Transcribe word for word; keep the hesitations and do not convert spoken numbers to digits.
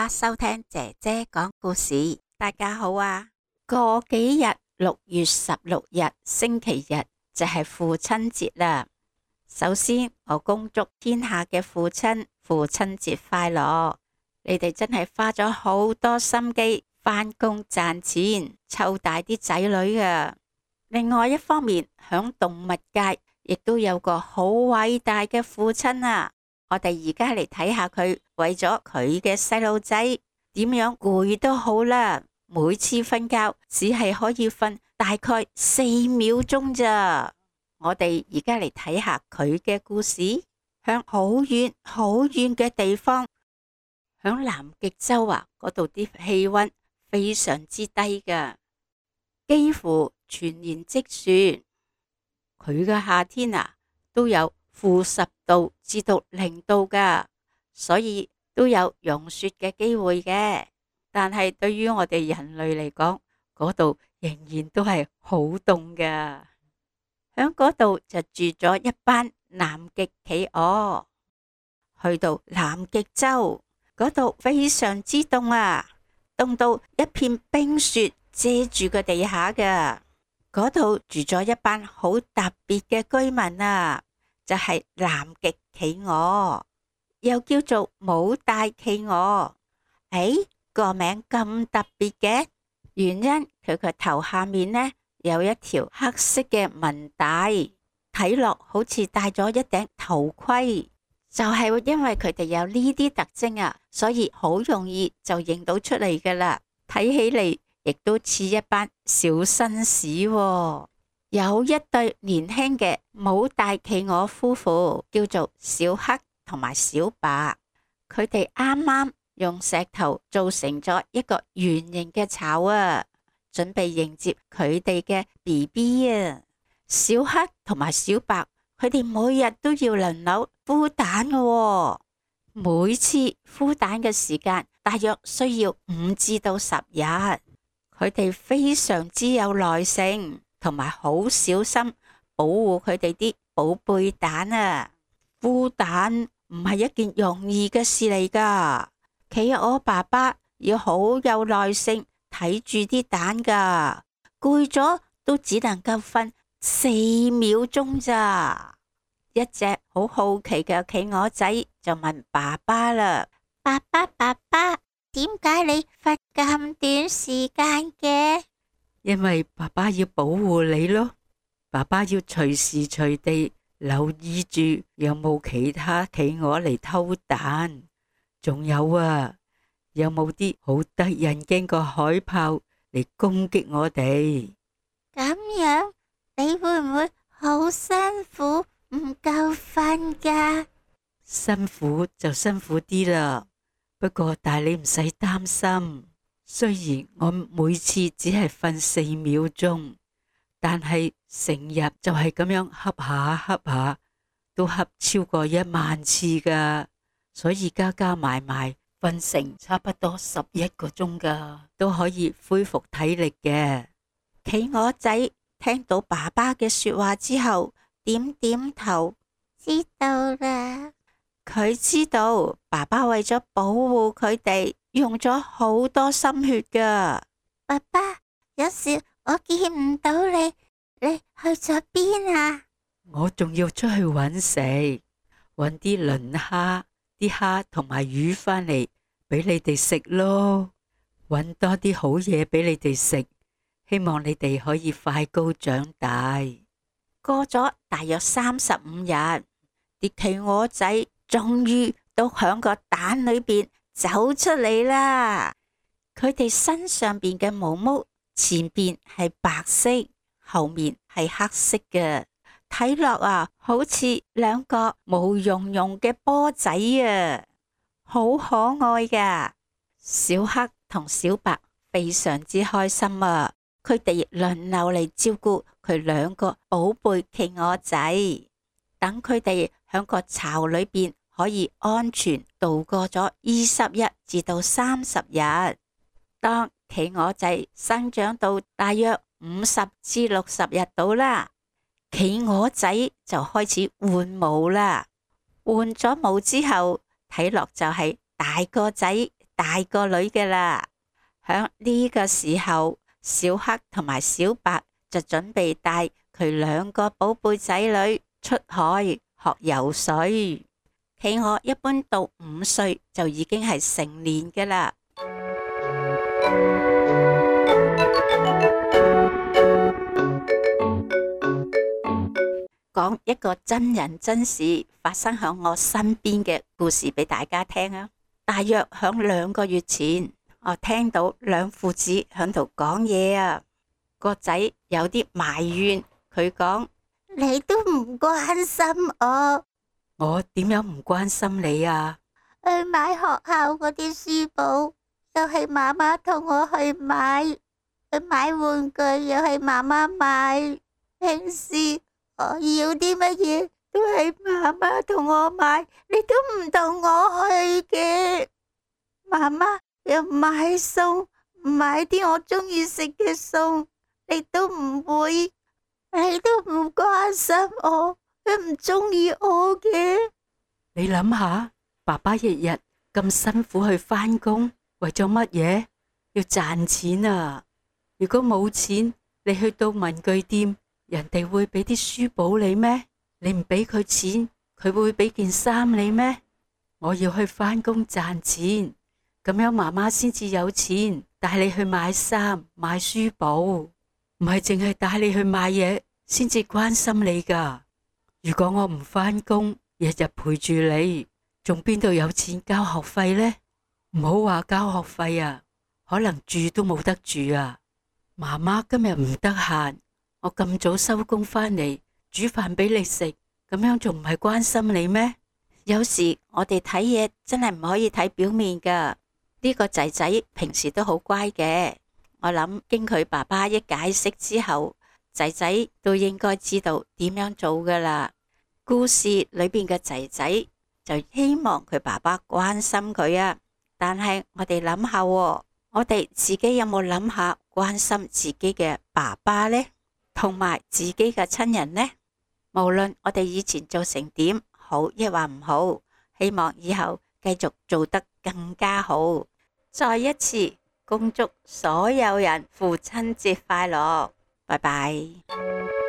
家收聽姐姐講故事。大家好啊！過幾日六月十六日星期日就係父親節啦。首先我恭祝天下嘅父親父親節快樂。你哋真係花咗好多心機返工賺錢，湊大啲仔女啊！另外一方面，響動物界亦都有個好偉大嘅父親啊！我哋而家嚟睇下佢為咗佢嘅細路仔點樣攰都好啦，每次瞓覺只係可以瞓大概四秒鐘咋。我哋而家嚟睇下佢嘅故事。響好遠好遠嘅地方，響南極洲啊，嗰度啲氣溫非常之低噶，幾乎全年積雪。佢嘅夏天啊都有負十度至到零度噶，所以都有融雪嘅機會嘅。但係對於我哋人類嚟講，嗰度仍然都係好凍噶。響嗰度就住咗一班南極企鵝。去到南極洲嗰度非常之凍啊，凍到一片冰雪遮住個地下噶。嗰度住咗一班好特別嘅居民啊，就係南極企鵝，又叫做母帶企鵝。誒，個名咁特別嘅原因，佢個頭下面呢有一條黑色嘅紋帶，睇落好似戴咗一頂頭盔。就係因為佢哋有呢啲特徵啊，所以好容易就認到出嚟噶啦。睇起嚟亦都似一班小紳士喎。有一對年輕嘅母帶企鵝夫婦，叫做小黑同埋小白。佢哋啱啱用石頭做成咗一個圓形嘅巢啊，準備迎接佢哋嘅 B B 啊。小黑同埋小白，佢哋每日都要輪流孵蛋嘅喎。每次孵蛋嘅時間大約需要五至到十日。佢哋非常之有耐性，同埋好小心保護佢哋啲寶貝蛋啊！孵蛋唔係一件容易嘅事嚟噶，企鵝爸爸要好有耐性睇住啲蛋噶，攰咗都只能夠瞓四秒鐘咋。一隻好好奇嘅企鵝仔就問爸爸啦：爸爸爸爸，點解你瞓咁短時間嘅？因為爸爸要保護你咯，爸爸要隨時隨地留意住有冇其他企鵝嚟偷蛋，仲有啊，有冇啲好得人驚個海豹嚟攻擊我哋？咁樣你會唔會好辛苦唔夠瞓㗎？辛苦就辛苦啲啦，不過但係你唔使擔心。雖然我每次只係瞓四秒鐘，但係成日就係咁樣瞌下瞌下，都瞌超過一萬次噶，所以加加埋埋瞓成差不多十一個鐘噶，都可以恢復體力嘅。企鵝仔聽到爸爸嘅說話之後，點點頭，知道啦。佢知道爸爸為咗保護佢哋，用咗好多心血噶。爸爸，有時我見唔到你，你去咗邊啊？我仲要出去揾食，揾啲磷蝦、啲蝦同埋魚返嚟俾你哋食咯，揾多啲好嘢俾你哋食，希望你哋可以快高長大。過咗大約三十五日，啲企鵝仔終於都響個蛋裏邊走出嚟啦。佢哋身上邊嘅毛毛前邊係白色，後面係黑色嘅，睇落啊好似兩個毛茸茸嘅波仔啊，好可愛噶。小黑同小白非常之開心啊，佢哋輪流嚟照顧佢兩個寶貝企鵝仔，等佢哋響個巢裏邊可以安全度過咗二十日至到三十日。當企鵝仔生長到大約五十至六十日到啦，企鵝仔就開始換毛啦。換咗毛之後，睇落就係大個仔、大個女嘅啦。響呢個時候，小黑同埋小白就準備帶佢兩個寶貝仔女出海學游水。企鵝一般到五歲就已經係成年嘅啦。講一個真人真事發生響我身邊嘅故事俾大家聽啊！大約響兩個月前，我聽到兩父子響度講嘢啊。個仔有啲埋怨，佢講：你都唔關心我。我點樣唔關心你啊？去買學校嗰啲書簿，又係媽媽同我去買；去買玩具，又係媽媽買。平時我要啲乜嘢都係媽媽同我買，你都唔同我去嘅。媽媽又買餸，買啲我中意食嘅餸，你都唔會，你都唔關心我，你唔中意我嘅。你諗下，爸爸日日咁辛苦去返工，為咗乜嘢？要賺錢啊！如果冇錢，你去到文具店，人哋會俾啲書簿你咩？你唔俾佢錢，佢會俾件衫你咩？我要去返工賺錢，咁樣媽媽先至有錢帶你去買衫買書簿，唔係淨係帶你去買嘢先至關心你噶。如果我唔返工，日日陪住你，仲邊度有錢交學費呢？唔好話交學費啊，可能住都冇得住啊。媽媽今日唔得閒，我咁早收工返嚟煮飯俾你食，咁樣仲唔係關心你咩？有時我哋睇嘢真係唔可以睇表面噶。呢個仔仔平時都好乖嘅，我諗經佢爸爸一解釋之後，仔仔都應該知道點樣做噶啦。故事裏邊嘅仔仔就希望佢爸爸關心佢啊，但係我哋諗下，我哋自己有冇諗下關心自己嘅爸爸呢？同埋自己嘅親人呢？無論我哋以前做成點好亦或唔好，希望以後繼續做得更加好。再一次恭祝所有人父親節快樂，拜拜。